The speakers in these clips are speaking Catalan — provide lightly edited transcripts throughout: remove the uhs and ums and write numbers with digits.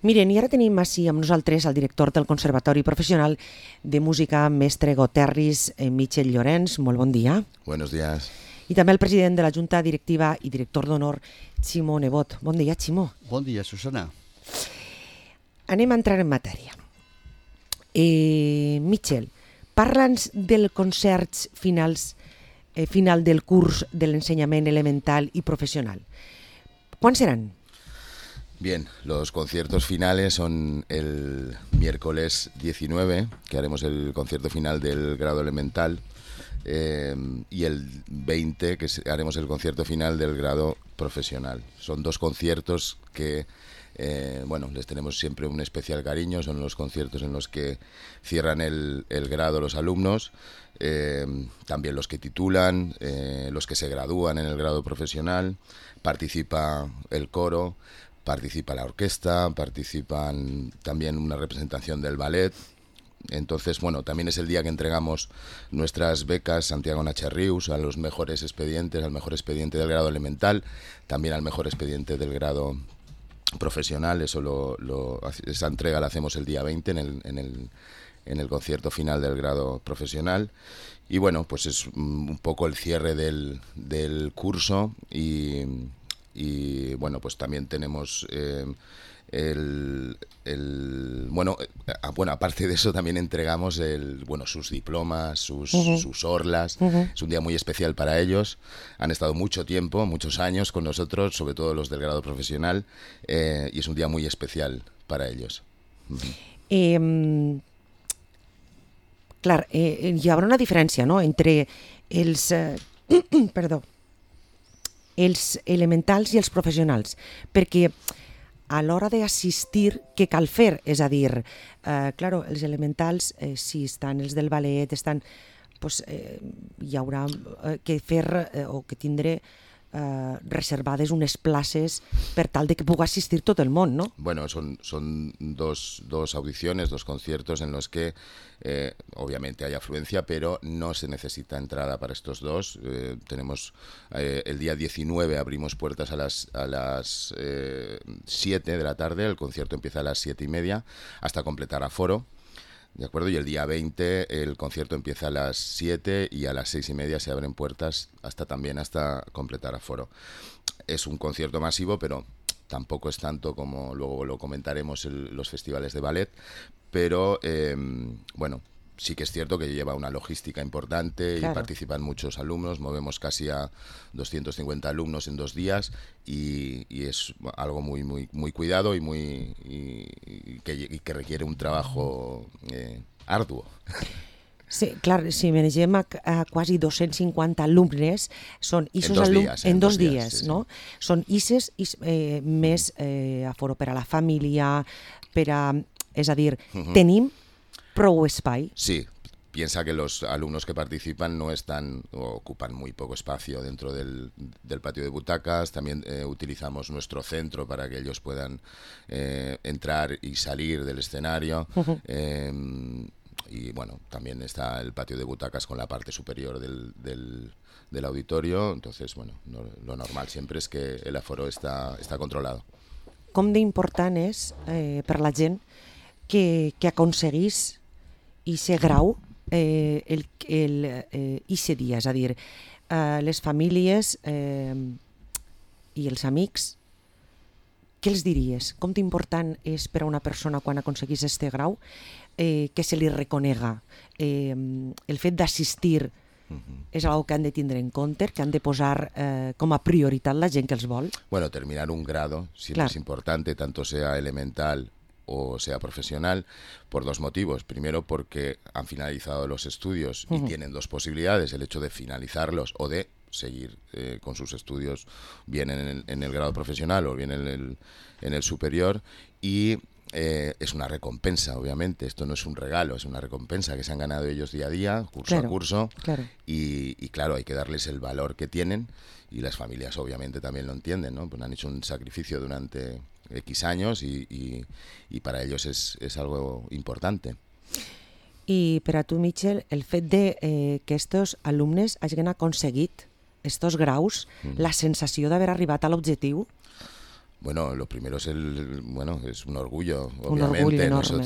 Miren, i ara tenim així amb nosaltres el director del Conservatori Professional de Música, mestre Goterris, Michel Llorenç. Molt bon dia. Buenos días. I també el president de la Junta Directiva i director d'honor, Ximo Nebot. Bon dia, Ximo. Bon dia, Susana. Anem a entrar en matèria. Michel, parla'ns del concert final del curs de l'ensenyament elemental y profesional. ¿Cuándo serán? Bien, los conciertos finales son el miércoles 19, que haremos el concierto final del grado elemental, y el 20, que haremos el concierto final del grado profesional. Son dos conciertos que les tenemos siempre un especial cariño. Son los conciertos en los que cierran el grado los alumnos, también los que titulan, los que se gradúan en el grado profesional. Participa el coro, participa la orquesta, participan también una representación del ballet. Entonces, también es el día que entregamos nuestras becas Santiago Nacherrius a los mejores expedientes, al mejor expediente del grado elemental, también al mejor expediente del grado profesional. Esa entrega la hacemos el día 20 en el concierto final del grado profesional. Y pues es un poco el cierre del curso y pues también tenemos aparte de eso también entregamos sus diplomas, sus orlas. Es un día muy especial para ellos. Han estado mucho tiempo, muchos años con nosotros, sobre todo los del grado profesional, y es un día muy especial para ellos. Clar, hi haurà una diferència, no?, entre els elementals i els professionals, perquè a l'hora d'assistir, què cal fer? És a dir, els elementals, si estan els del ballet, hi haurà que fer o que tindre reservades unes places per tal de que puga asistir tot el món, ¿no? Bueno, son dos audiciones, dos conciertos en los que obviamente hay afluencia, pero no se necesita entrada para estos dos. Tenemos el día 19 abrimos puertas a las 7 de la tarde, el concierto empieza a las 7:30 hasta completar aforo. ¿De acuerdo? Y el día 20 el concierto empieza a las 7 y a las 6:30 se abren puertas hasta completar aforo. Es un concierto masivo, pero tampoco es tanto como luego lo comentaremos los festivales de ballet, pero sí que es cierto que lleva una logística importante. Claro. Y participan muchos alumnos, movemos casi a 250 alumnos en 2 días y es algo muy muy muy cuidado y que requiere un trabajo arduo. Sí, clar, si manegem a quasi 250 alumnes, són en dos dies, no? Sí. Són ISES més aforo per a la família, és a dir, tenim prou espai. Sí, piensa que los alumnos que participan ocupan muy poco espacio dentro del patio de butacas. También utilizamos nuestro centro para que ellos puedan entrar y salir del escenario. Y también está el patio de butacas con la parte superior del auditorio. Entonces, lo normal siempre es que el aforo está controlado. Com d'important és per la gent que aconseguís ese grau ese dia, és a dir, les famílies i els amics, què els diries? Com d'important és per a una persona quan aconseguís este grau que se li reconega? El fet d'assistir és algo que han de tindre en compte, que han de posar com a prioritat la gent que els vol? Bueno, terminar un grado siempre es importante, tanto sea elemental o sea profesional, por 2 motivos. Primero, porque han finalizado los estudios y tienen 2 posibilidades: el hecho de finalizarlos o de seguir con sus estudios bien en el grado profesional o bien en el superior. Y es una recompensa, obviamente. Esto no es un regalo, es una recompensa que se han ganado ellos día a día, curso a curso. Claro. Y claro, hay que darles el valor que tienen, y las familias obviamente también lo entienden, ¿no? Pues han hecho un sacrificio durante X años y para ellos es algo importante. I per a tu, Michel, el fet de que estos alumnes hagin aconseguit estos graus, la sensació d'haver arribat a l'objectiu? Bueno, lo primero es es un orgullo, Un obviamente. orgullo enorme.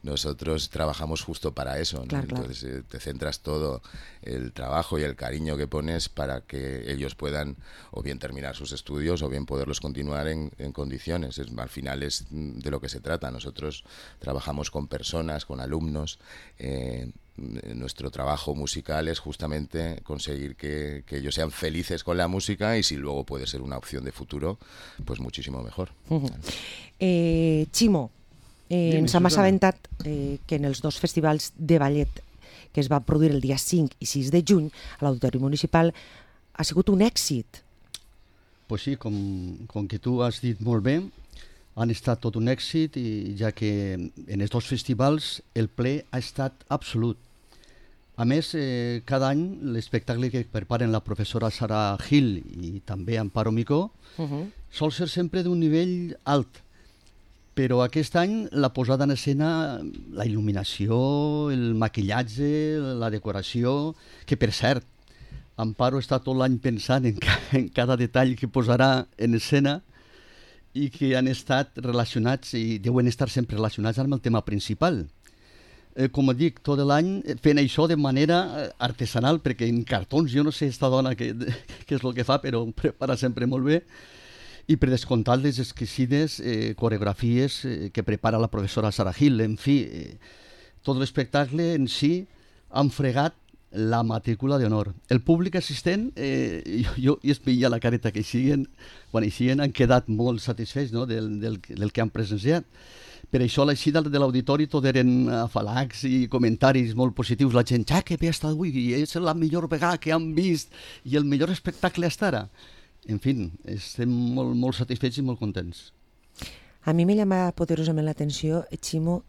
Nosotros trabajamos justo para eso, ¿no? Claro, Entonces te centras todo el trabajo y el cariño que pones para que ellos puedan o bien terminar sus estudios o bien poderlos continuar en condiciones. Al final es de lo que se trata. Nosotros trabajamos con personas, con alumnos. Nuestro trabajo musical es justamente conseguir que ellos sean felices con la música, y si luego puede ser una opción de futuro, pues muchísimo mejor. Ximo, ens hem assabentat que en els 2 festivals de ballet que es va produir el dia 5 i 6 de juny a l'Auditori Municipal ha sigut un èxit. Pues sí, com que tu has dit molt bé, han estat tot un èxit, i ja que en els 2 festivals el ple ha estat absolut. A més, cada any l'espectacle que preparen la professora Sara Gil i també Amparo Micó sol ser sempre d'un nivell alt, però aquest any la posada en escena, la il·luminació, el maquillatge, la decoració, que per cert, Amparo està tot l'any pensant en cada detall que posarà en escena, i que han estat relacionats i deuen estar sempre relacionats amb el tema principal. Com dic, tot l'any fent això de manera artesanal, perquè en cartons, jo no sé esta dona què és el que fa, però prepara sempre molt bé, i per descomptar les exquisides coreografies que prepara la professora Sara Gil. En fi, tot l'espectacle en si han fregat la matrícula d'honor. El públic assistent, jo es veia la careta que quan eixien, han quedat molt satisfets, no, del que han presenciat. Per això l'eixida de l'auditori tot eren afalacs i comentaris molt positius. La gent, que bé està avui, i és la millor vegada que han vist i el millor espectacle hasta ara. En fi, estem molt satisfets i molt contents. A mi me llama poderosament l'atenció, Ximo,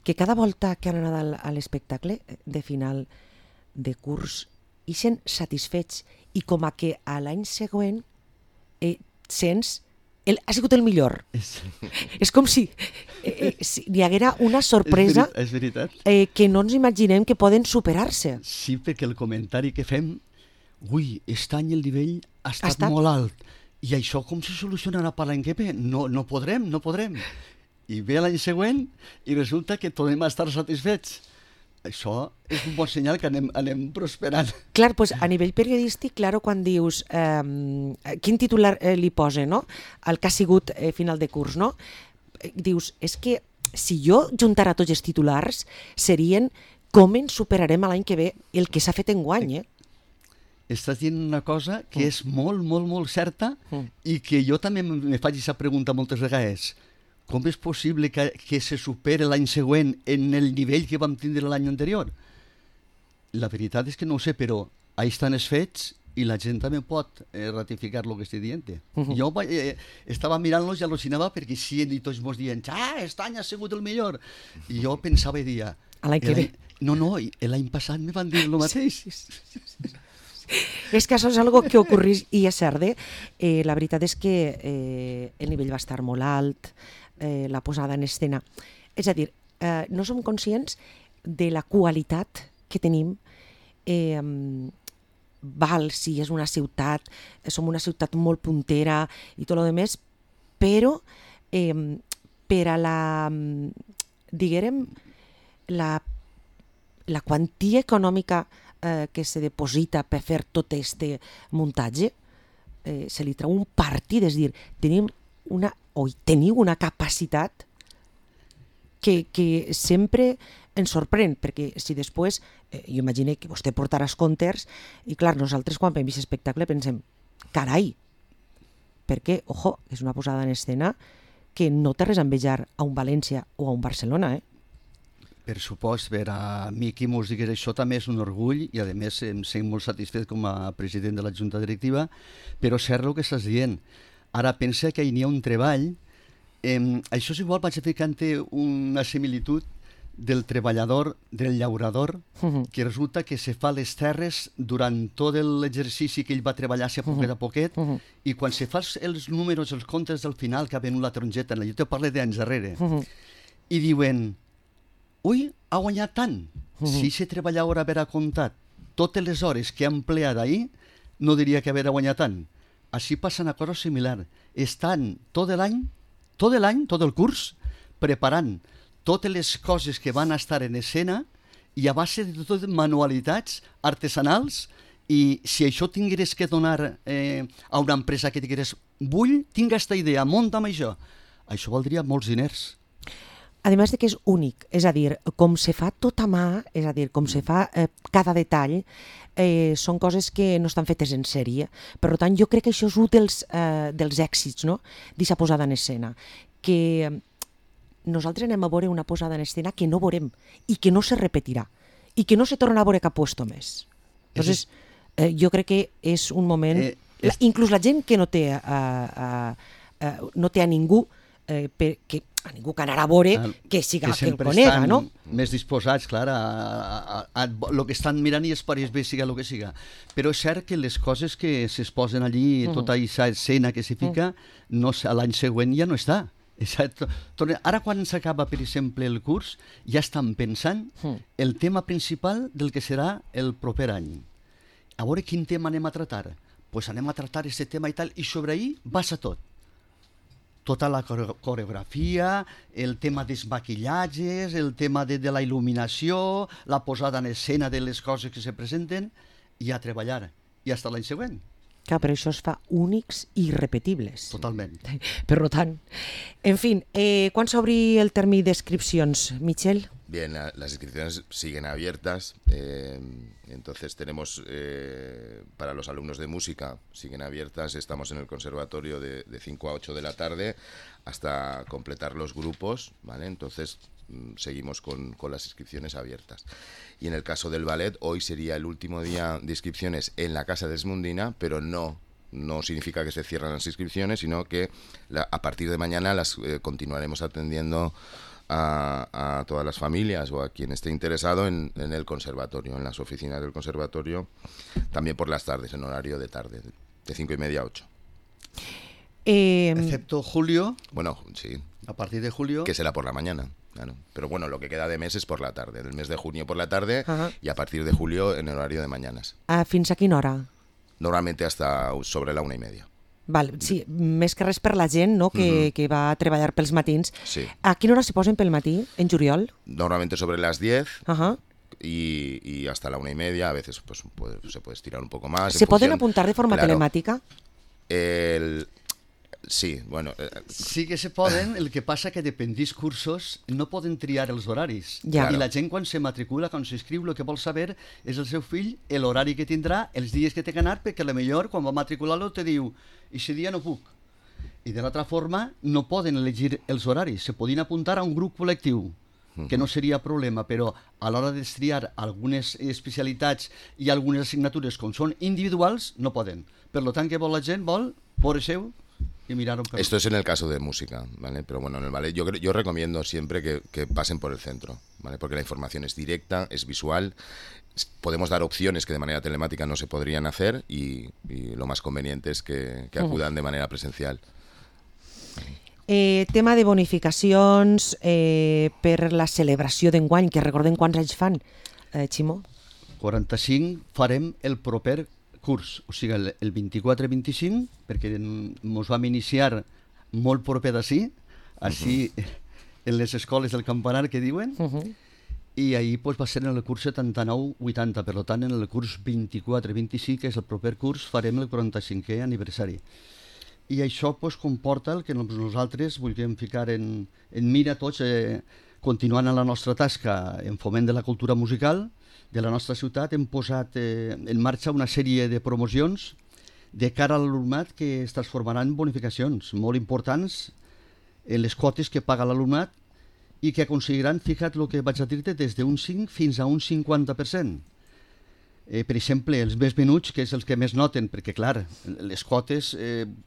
que cada volta que han anat a l'espectacle de final de curs ixen satisfets, i com a que a l'any següent sents ha sigut el millor. És com si hi haguera una sorpresa és veritat. Que no ens imaginem que poden superar-se. Sí, perquè el comentari que fem, aquest any el nivell ha estat molt alt, i això com se solucionarà per l'any que ve? No podrem. I ve l'any següent i resulta que tornem a estar satisfets. Això és un bon senyal que anem prosperant. Clar, doncs a nivell periodístic, quan dius quin titular li posa, no?, el que ha sigut final de curs, no? Dius, és que si jo juntara tots els titulars serien com ens superarem l'any que ve el que s'ha fet enguany, Estàs dient una cosa que és molt certa, i que jo també me faig aquesta pregunta moltes vegades. Com és possible que se supere l'any següent en el nivell que vam tindre l'any anterior? La veritat és que no ho sé, però ahí estan els fets i la gent també pot ratificar el que estic dient. Jo estava mirant-los i al·lucinava, perquè sí, i tots mos diuen aquest any ha sigut el millor. I jo pensava i dia... L'any que ve. No, l'any passat me van dir el mateix. És que això és algo que ocorreix i és cert. La veritat és que el nivell va estar molt alt, la posada en escena. És a dir, no som conscients de la qualitat que tenim. Val, sí, és una ciutat, som una ciutat molt puntera i tot el més, però per a la, diguem, la quantia econòmica que se deposita per fer tot aquest muntatge, se li treu un partit, és a dir, teniu una capacitat que sempre ens sorprèn, perquè si després, jo imagino que vostè portarà els comptes, i clar, nosaltres quan veiem aquest espectacle pensem, carai, perquè, ojo, és una posada en escena que no té res a envejar a un València o a un Barcelona, Per supost, per a mi qui mos digués això també és un orgull, i a més em sent molt satisfet com a president de la Junta Directiva, però cert el que estàs dient. Ara pensa que hi ha un treball, això és igual, vaig ficant una similitud del treballador, del llaurador, que resulta que se fa les terres durant tot l'exercici que ell va treballar-se a poquet, i quan se fa els números, els comptes del final, que ha venut la tarongeta, jo te parlo d'anys darrere, i diuen... ha guanyat tant. Si aquest treballador haguera comptat totes les hores que ha empleat ahir, no diria que haguera guanyat tant. Així passa una cosa similar. estan tot el curs, preparant totes les coses que van estar en escena i a base de totes manualitats artesanals. I si això tingués que donar a una empresa que digués tinc aquesta idea, munta'm això valdria molts diners. A més de que és únic, és a dir, com se fa tot a mà, és a dir, com se fa cada detall, són coses que no estan fetes en sèrie. Per tant, jo crec que això és un dels èxits, no?, d'aquesta posada en escena, que nosaltres anem a veure una posada en escena que no veurem i que no se repetirà i que no se torna a veure cap puesto més. Entonces, jo crec que és un moment... Inclús la gent que no té a ningú a ningú que anarà a veure que el conega, no? Més disposats, clar, a lo que estan mirant i es pareix bé siga el que siga. Però és cert que les coses que s'exposen allí, tota aquesta escena que se fica, l'any següent ja no està. Ara quan s'acaba, per exemple, el curs, ja estan pensant el tema principal del que serà el proper any. A veure quin tema anem a tratar. Doncs anem a tratar aquest tema i tal, i sobre ahir basa tot. Tota la coreografia, el tema dels maquillatges, el tema de la il·luminació, la posada en escena de les coses que se presenten, i a treballar. I fins l'any següent. Clar, però això es fa únics i irrepetibles. Totalment. Per tant. En fin, ¿cuándo se abre el termini de inscripcions, Michel? Bien, las inscripciones siguen abiertas, entonces tenemos para los alumnos de música, siguen abiertas, estamos en el conservatorio de 5 a 8 de la tarde hasta completar los grupos, ¿vale? Entonces seguimos con las inscripciones abiertas. Y en el caso del ballet, hoy sería el último día de inscripciones en la Casa Desmundina, pero no significa que se cierran las inscripciones, sino que a partir de mañana las continuaremos atendiendo a todas las familias o a quien esté interesado en el conservatorio, en las oficinas del conservatorio, también por las tardes, en horario de tarde, de 5:30 a 8. Excepto julio. Bueno, sí. A partir de julio. Que será por la mañana, claro. Pero bueno, lo que queda de mes es por la tarde, del mes de junio por la tarde y a partir de julio en horario de mañanas. Fins a quina hora? Normalmente hasta sobre la 1:30. Val, sí, més que res per la gent, no?, que va a treballar pels matins. Sí. A quina hora se posen pel matí, en juliol? Normalmente sobre las 10 y hasta la 1:30, a veces pues, se puede estirar un poco más. ¿Se pueden apuntar de forma telemática? Sí, bueno... Sí que se poden, el que passa que depèn dels cursos no poden triar els horaris. Ja. I la gent quan se matricula, quan s'inscriu, el que vol saber és el seu fill, l'horari que tindrà, els dies que té que anar, perquè potser quan va matricular-lo te diu i aquest dia no puc. I de l'altra forma no poden elegir els horaris, se podien apuntar a un grup col·lectiu, que no seria problema, però a l'hora de triar algunes especialitats i algunes assignatures com són individuals, no poden. Per tant, que vol la gent? Vol veure seu y mirar un Esto es en el caso de música, ¿vale? Pero bueno, en el ballet yo recomiendo siempre que pasen por el centro, ¿vale? Porque la información es directa, es visual, podemos dar opciones que de manera telemática no se podrían hacer y lo más conveniente es que acudan de manera presencial. Tema de bonificacions per la celebració d'enguany, que recordem quants anys fan, Ximo? 45 farem el proper curs, o sigui, el 24-25, perquè ens vam iniciar molt proper d'ací, així en les escoles del campanar que diuen, i ahir va ser en el curs 79-80, per tant en el curs 24-25, que és el proper curs, farem el 45è aniversari. I això comporta el que nosaltres vulguem ficar en mira tots, continuant en la nostra tasca en foment de la cultura musical de la nostra ciutat. Hem posat en marxa una sèrie de promocions de cara a l'alumnat que es transformaran en bonificacions molt importants en les quotes que paga l'alumnat i que aconseguiran, fija't el que vaig a dir-te, des d'un 5 fins a un 50%. Per exemple, els més menuts, que és els que més noten, perquè, clar, les quotes,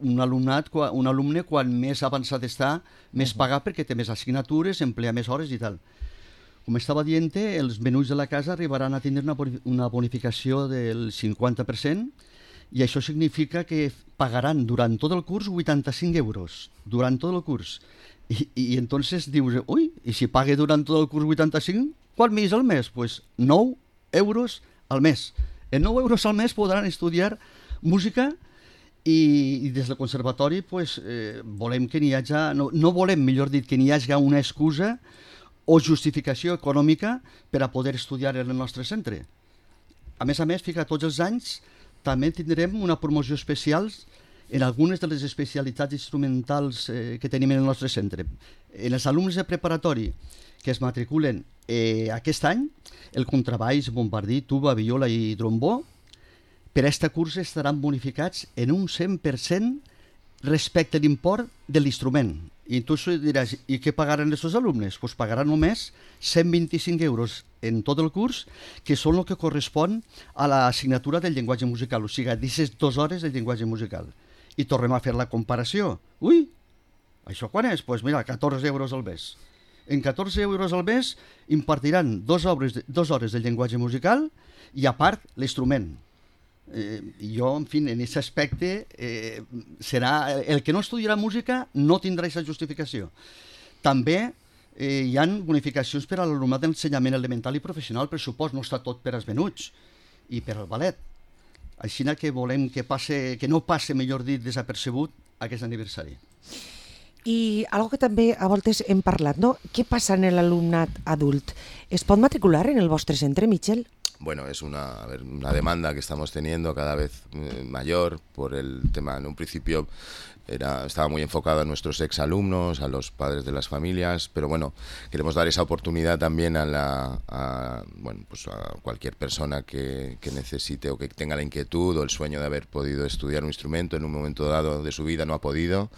un alumne, quan més avançat està, més paga perquè té més assignatures, emplea més hores i tal. Com estava dient, els menuts de la casa arribaran a tindre una bonificació del 50% i això significa que pagaran durant tot el curs 85 euros, durant tot el curs. I entonces dius, ui, i si pague durant tot el curs 85, quant més al mes? Doncs 9 euros al mes. En 9 euros al mes podran estudiar música i des del conservatori pues, volem que n'hi hagi, no volem, millor dit, que n'hi hagi una excusa o justificació econòmica per a poder estudiar en el nostre centre. A més, tots els anys també tindrem una promoció especial en algunes de les especialitats instrumentals que tenim en el nostre centre. En els alumnes de preparatori que es matriculen aquest any, el contrabaix, bombardí, tuba, viola i trombó, per a aquest curs estaran bonificats en un 100% respecte a l'import de l'instrument. I tu diràs, i què pagaran aquests alumnes? Doncs pagaran només 125 euros en tot el curs, que són el que correspon a l'assignatura del llenguatge musical, o sigui, 16 hores del llenguatge musical. I tornem a fer la comparació. Ui, això quan és? Doncs mira, 14 euros al mes. En 14 euros al mes impartiran 2 hores de llenguatge musical i a part l'instrument. Jo, en fi, en aquest aspecte serà el que no estudiarà música no tindrà aquesta justificació. També hi ha bonificacions per a l'alumnat d'ensenyament elemental i professional, per supost, no està tot per als menuts i per al ballet. Així que volem que no passe, millor dit, desapercebut aquest aniversari. I algo que també a voltes hem parlat, no? Què passa en l'alumnat adult? Es pot matricular en el vostre centre, Michel? Bueno, es una demanda que estamos teniendo cada vez mayor por el tema. En un principio estaba muy enfocado a nuestros exalumnos, a los padres de las familias, pero bueno, queremos dar esa oportunidad también a cualquier persona que necesite o que tenga la inquietud o el sueño de haber podido estudiar un instrumento en un momento dado de su vida, no ha podido,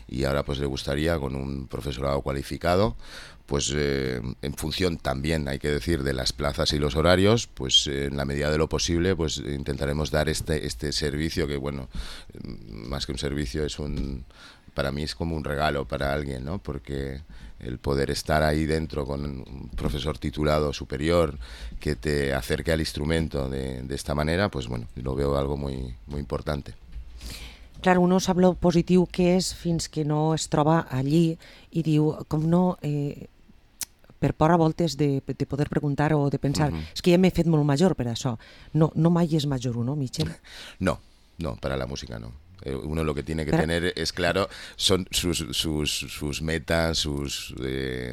y ahora pues le gustaría con un profesorado cualificado, pues en función también, hay que decir, de las plazas y los horarios, pues en la medida de lo posible pues intentaremos dar este servicio que, bueno, más que un servicio para mí es como un regalo para alguien, ¿no? Porque el poder estar ahí dentro con un profesor titulado superior que te acerque al instrumento de esta manera, pues bueno, lo veo algo muy, muy importante. Clar, uno sap lo positiu que és fins que no es troba allí i diu, com no... per por a voltes de poder preguntar o de pensar, és que ja m'he fet molt major per això. No mai és major uno, Michel? No, para la música no. Uno lo que tiene que tener es claro son sus metas,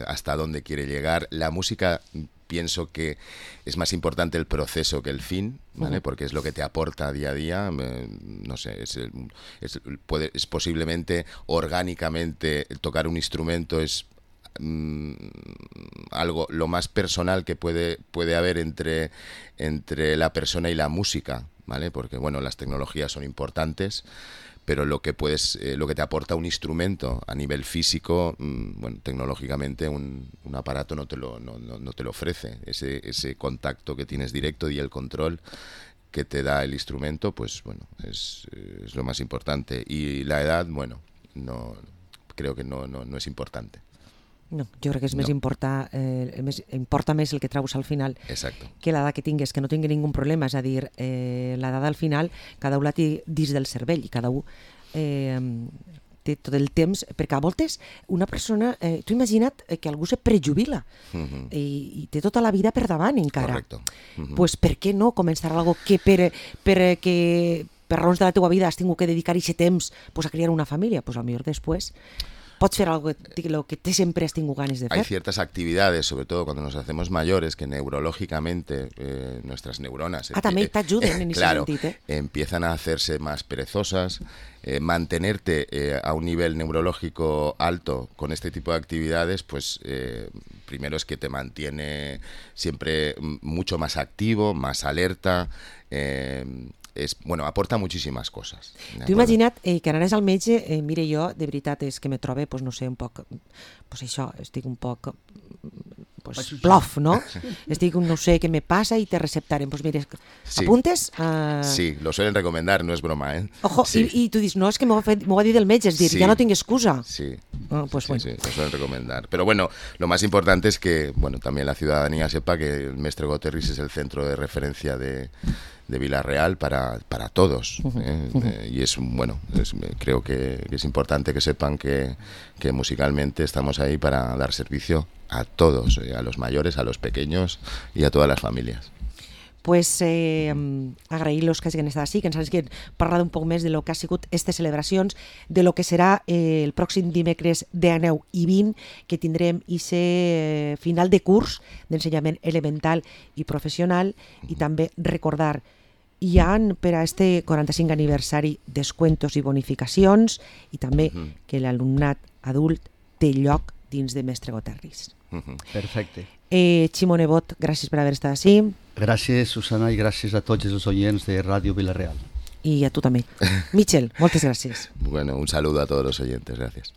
hasta dónde quiere llegar. La música, pienso que es más importante el proceso que el fin, ¿vale? Porque es lo que te aporta día a día. No sé, es posiblemente orgánicamente tocar un instrumento es algo lo más personal que puede haber entre la persona y la música, ¿vale? Porque bueno, las tecnologías son importantes, pero lo que te aporta un instrumento a nivel físico, bueno, tecnológicamente un aparato no te lo ofrece. Ese contacto que tienes directo y el control que te da el instrumento, pues bueno, es lo más importante. Y la edad, bueno, no creo que no es importante. No, jo crec que és importa més el que treus al final. Exacto. Que l'edat que tingues, que no tingui ningú problema. És a dir, l'edat al final, cada un la té dins del cervell i cada un té tot el temps, perquè a voltes una persona, tu imagina't que algú se prejubila i té tota la vida per davant encara. Correcto. Pues per què no començar algo que per raons de la teua vida has tingut que dedicar aquest temps a criar una família? Pues a lo millor després pots fer algo que te siempre has tenido ganas de hacer. Hay ciertas actividades, sobre todo cuando nos hacemos mayores, que neurológicamente nuestras neuronas también te ayuden en ese sentido. Empiezan a hacerse más perezosas. Mantenerte a un nivel neurológico alto con este tipo de actividades, pues primero es que te mantiene siempre mucho más activo, más alerta. Aporta muchísimas cosas. Tu imagina't que anaves al metge, mire, jo de veritat és que me trobe, no sé, un poc, això, estic un poc plof, no? Estic, no sé què me passa i te receptaren. Pues mire, sí. ¿Apuntes? Sí, lo suelen recomendar, no es broma, ¿eh? Ojo, sí. I tu dius, no, és que m'ho va dir del metge, és dir, sí. Ja no tinc excusa. Sí. Pues bueno. Sí, lo suelen recomendar. Pero bueno, lo más importante es que, bueno, también la ciudadanía sepa que el Mestre Goterris es el centro de referencia de Vila-real para todos. Y es, bueno, creo que es importante que sepan que musicalmente estamos ahí para dar servicio a todos, a los mayores, a los pequeños y a todas las familias. pues agrair-los que hagin estat així, que ens hagin parlat un poc més de lo que ha sigut aquestes celebracions, de lo que serà el pròxim dimecres 19 i 20, que tindrem aquest final de curs d'ensenyament elemental i professional, i també recordar hi ha per a este 45 aniversari descuentos i bonificacions, i també que l'alumnat adult té lloc dins de Mestre Goterris. Perfecte. Ximo Nebot, gràcies per haver estat així. Gràcies, Susana, i gràcies a tots els oients de Ràdio Vila-real. Y a tú también. Michel, muchas gracias. Bueno, un saludo a todos los oyentes, gracias.